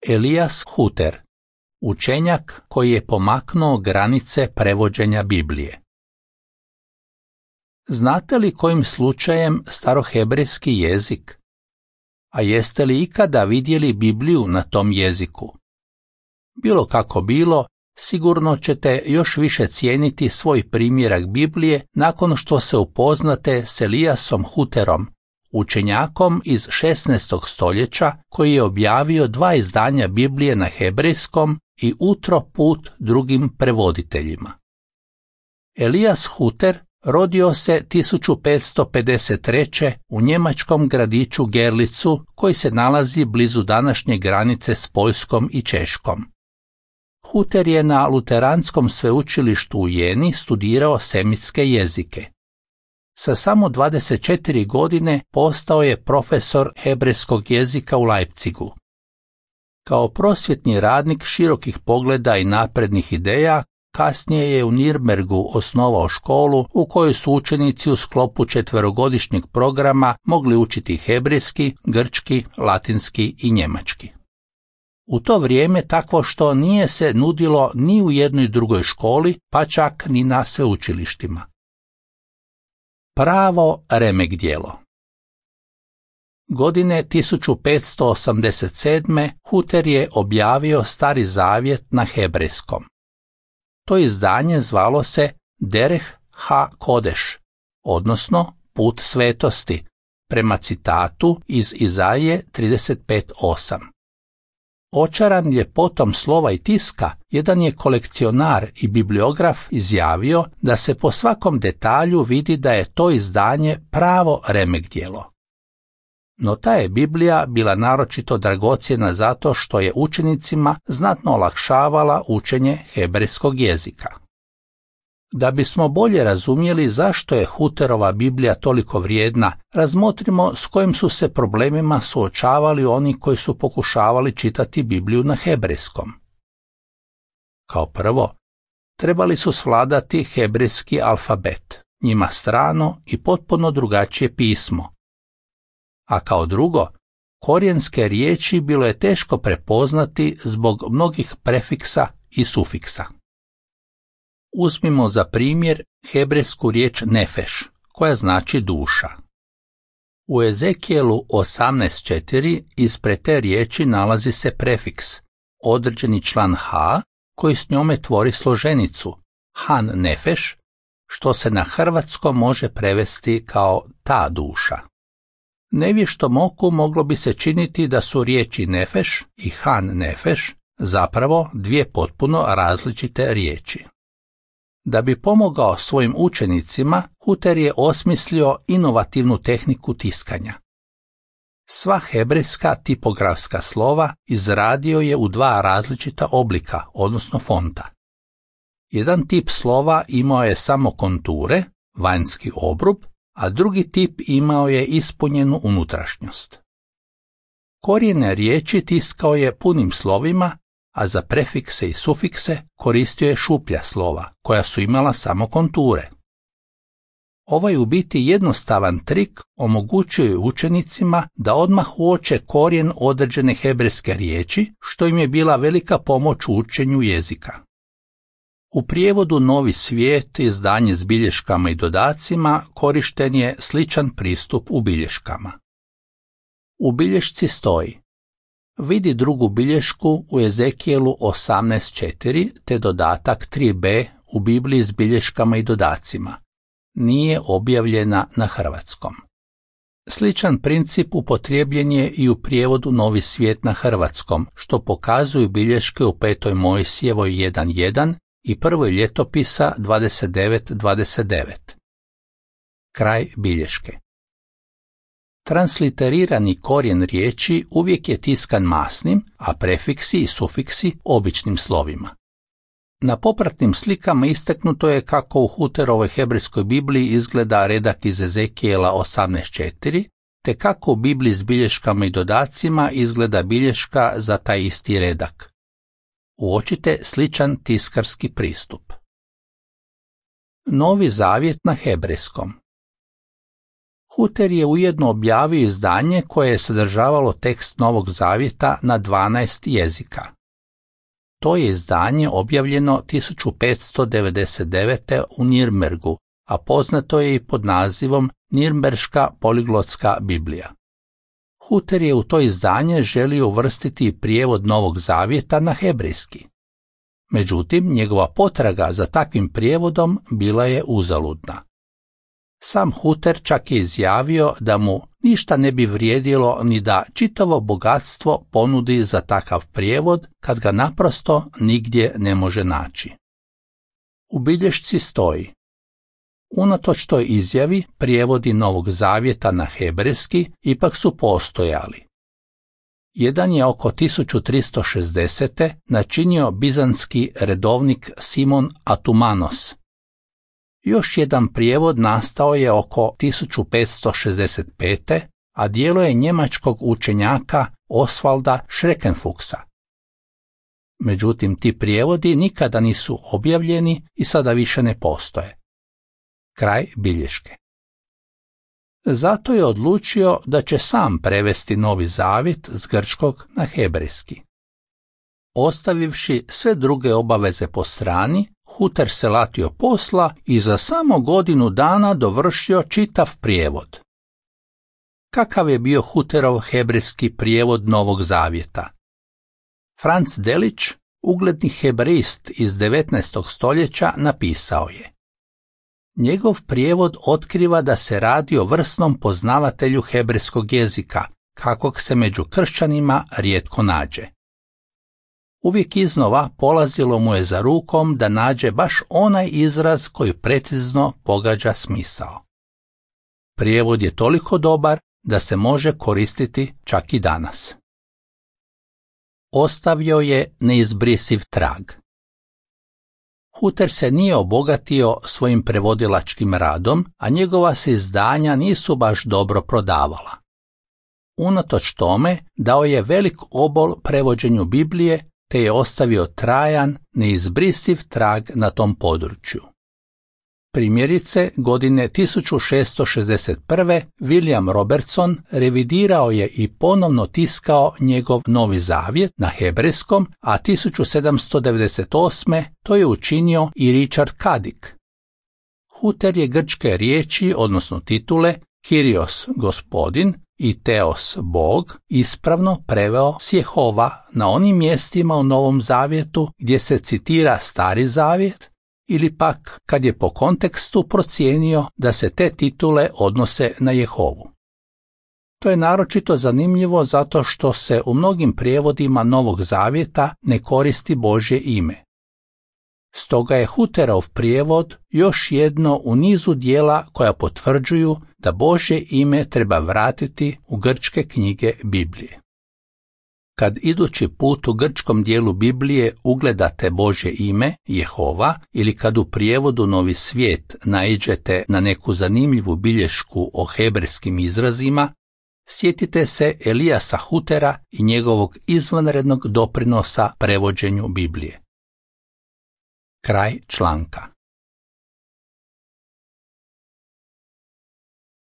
Elias Huter, učenjak koji je pomaknuo granice prevođenja Biblije. Znate li kojim slučajem starohebrejski jezik? A jeste li ikada vidjeli Bibliju na tom jeziku? Bilo kako bilo, sigurno ćete još više cijeniti svoj primjerak Biblije nakon što se upoznate s Eliasom Huterom, učenjakom iz 16. stoljeća koji je objavio 2 izdanja Biblije na hebrejskom i utro put drugim prevoditeljima. Elias Huter rodio se 1553. u njemačkom gradiću Gerlicu koji se nalazi blizu današnje granice s Poljskom i Češkom. Huter je na Luteranskom sveučilištu u Jeni studirao semitske jezike. Sa samo 24 godine postao je profesor hebrejskog jezika u Leipzigu. Kao prosvjetni radnik širokih pogleda i naprednih ideja, kasnije je u Nirnbergu osnovao školu u kojoj su učenici u sklopu 4-godišnjeg programa mogli učiti hebrejski, grčki, latinski i njemački. U to vrijeme takvo što nije se nudilo ni u jednoj drugoj školi, pa čak ni na sveučilištima. Pravo remek djelo. Godine 1587. Huter je objavio Stari zavjet na hebrejskom. To izdanje zvalo se Derech ha-Kodeš, odnosno Put svetosti, prema citatu iz Izaije 35:8. Očaran ljepotom slova i tiska, jedan je kolekcionar i bibliograf izjavio da se po svakom detalju vidi da je to izdanje pravo remek djelo. No ta je Biblija bila naročito dragocjena zato što je učenicima znatno olakšavala učenje hebrejskog jezika. Da bismo bolje razumjeli zašto je Huterova Biblija toliko vrijedna, razmotrimo s kojim su se problemima suočavali oni koji su pokušavali čitati Bibliju na hebrejskom. Kao prvo, trebali su svladati hebrejski alfabet, njima strano i potpuno drugačije pismo. A kao drugo, korijenske riječi bilo je teško prepoznati zbog mnogih prefiksa i sufiksa. Uzmimo za primjer hebrejsku riječ nefeš, koja znači duša. U Ezekijelu 18:4 ispred te riječi nalazi se prefiks, određeni član ha, koji s njome tvori složenicu, han nefeš, što se na hrvatskom može prevesti kao ta duša. Nevještom oku moglo bi se činiti da su riječi nefeš i han nefeš zapravo 2 potpuno različite riječi. Da bi pomogao svojim učenicima, Huter je osmislio inovativnu tehniku tiskanja. Sva hebrejska tipografska slova izradio je u 2 različita oblika, odnosno fonta. Jedan tip slova imao je samo konture, vanjski obrub, a drugi tip imao je ispunjenu unutrašnjost. Korijene riječi tiskao je punim slovima, a za prefikse i sufikse koristio je šuplja slova, koja su imala samo konture. Ovaj u biti jednostavan trik omogućuje učenicima da odmah uoče korijen određene hebrejske riječi, što im je bila velika pomoć u učenju jezika. U prijevodu Novi svijet, izdanje s bilješkama i dodacima, korišten je sličan pristup u bilješkama. U bilješci stoji: vidi drugu bilješku u Ezekijelu 18:4 te dodatak 3b u Bibliji s bilješkama i dodacima. Nije objavljena na hrvatskom. Sličan princip upotrijebljen je i u prijevodu Novi svijet na hrvatskom, što pokazuju bilješke u 5. Mojsijevoj 1:1 i prvoj ljetopisa 29:29. Kraj bilješke. Transliterirani korijen riječi uvijek je tiskan masnim, a prefiksi i sufiksi običnim slovima. Na popratnim slikama istaknuto je kako u Huterovoj hebrejskoj Bibliji izgleda redak iz Ezekijela 18:4, te kako u Bibliji s bilješkama i dodacima izgleda bilješka za taj isti redak. Uočite sličan tiskarski pristup. Novi zavjet na hebrejskom. Huter je ujedno objavio izdanje koje je sadržavalo tekst Novog Zavjeta na 12 jezika. To je izdanje objavljeno 1599. u Nirnbergu, a poznato je i pod nazivom Nirnberška poliglotska Biblija. Huter je u to izdanje želio uvrstiti prijevod Novog Zavjeta na hebrejski. Međutim, njegova potraga za takvim prijevodom bila je uzaludna. Sam Huter čak je izjavio da mu ništa ne bi vrijedilo ni da čitavo bogatstvo ponudi za takav prijevod kad ga naprosto nigdje ne može naći. U bilješci stoji: unatoč toj izjavi, prijevodi Novog Zavjeta na hebrejski ipak su postojali. Jedan je oko 1360. načinio bizanski redovnik Simon Atumanos. Još jedan prijevod nastao je oko 1565. a djelo je njemačkog učenjaka Osvalda Schreckenfuchsa. Međutim, ti prijevodi nikada nisu objavljeni i sada više ne postoje. Kraj bilješke. Zato je odlučio da će sam prevesti Novi Zavjet s grčkog na hebrejski. Ostavivši sve druge obaveze po strani, Huter se latio posla i za samo godinu dana dovršio čitav prijevod. Kakav je bio Huterov hebrejski prijevod Novog Zavjeta? Franz Delitzsch, ugledni hebrejist iz 19. stoljeća, napisao je: njegov prijevod otkriva da se radi o vrsnom poznavatelju hebrejskog jezika, kakvog se među kršćanima rijetko nađe. Uvijek iznova polazilo mu je za rukom da nađe baš onaj izraz koji precizno pogađa smisao. Prijevod je toliko dobar da se može koristiti čak i danas. Ostavio je neizbrisiv trag. Huter se nije obogatio svojim prevodilačkim radom, a njegova se izdanja nisu baš dobro prodavala. Unatoč tome dao je velik obol prevođenju Biblije, te je ostavio trajan, neizbrisiv trag na tom području. Primjerice, godine 1661. William Robertson revidirao je i ponovno tiskao njegov Novi Zavjet na hebrejskom, a 1798. to je učinio i Richard Kadik. Huter je grčke riječi, odnosno titule, Kyrios gospodin i Teos Bog, ispravno preveo s Jehova na onim mjestima u Novom Zavjetu gdje se citira Stari Zavjet, ili pak kad je po kontekstu procijenio da se te titule odnose na Jehovu. To je naročito zanimljivo zato što se u mnogim prijevodima Novog Zavjeta ne koristi Božje ime. Stoga je Huterov prijevod još jedno u nizu dijela koja potvrđuju da Božje ime treba vratiti u grčke knjige Biblije. Kad idući put u grčkom dijelu Biblije ugledate Božje ime, Jehova, ili kad u prijevodu Novi svijet naiđete na neku zanimljivu bilješku o hebrejskim izrazima, sjetite se Elijasa Hutera i njegovog izvanrednog doprinosa prevođenju Biblije. Kraj članka.